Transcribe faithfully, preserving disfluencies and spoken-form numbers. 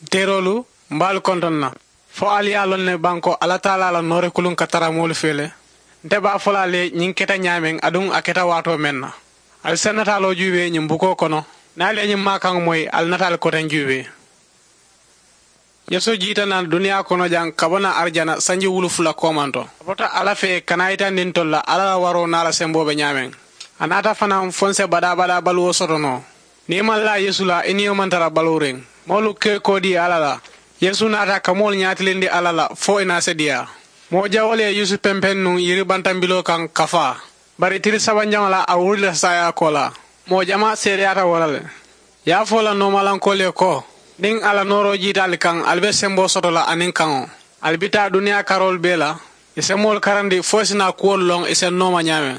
Teeroolu, mbe ali kontoŋ na? Fo ali ye a loŋ ne baŋ ko alla taalaa la noori kuluŋ ka tara moolu fee le? Nte be a fo la ali ye ñiŋ keta ñaameŋ aduŋ a keta waatoo meŋ na. Ali si a nataaloo juubee ñiŋ bukoo kono. Niŋ ali ye ñiŋ maakaŋo moyi, ali nata ali koteŋ juubee. Yeesu jiita naŋ duniyaa kono jaŋ ka bo naŋ arijana sanji wulu fula koomanto. A bota alla fee ka naa yitandi ntolu la alla la waroo niŋ a la semboo be ñaameŋ. A naata fanaa fo n se badaa-badaa baluwo soto noo. Niŋ i maŋ laa yeesu la i niyo maŋ tara baluuriŋ. Moolu ke koo dii alla la. Yeesu naata ka moolu ñaatilindi alla la fo i naa se diyaa. Moo jawoolu ye yeesu pempeŋ nuŋ yiri bantambiloo kaŋ ka faa. Bari tili sabanjaŋo la a wurita saayaa koolaa. Moo jamaa seedeyaata wo la le. Ye a fo la noomalankoolu ye ko, niŋ a la nooroo jiita ali kaŋ ali be semboo soto la aniŋ kaŋo. Ali bi taa duniyaa karoolu bee la. I se moolu karandi fo i si naa kuwolu loŋ i se nooma ñaameŋ.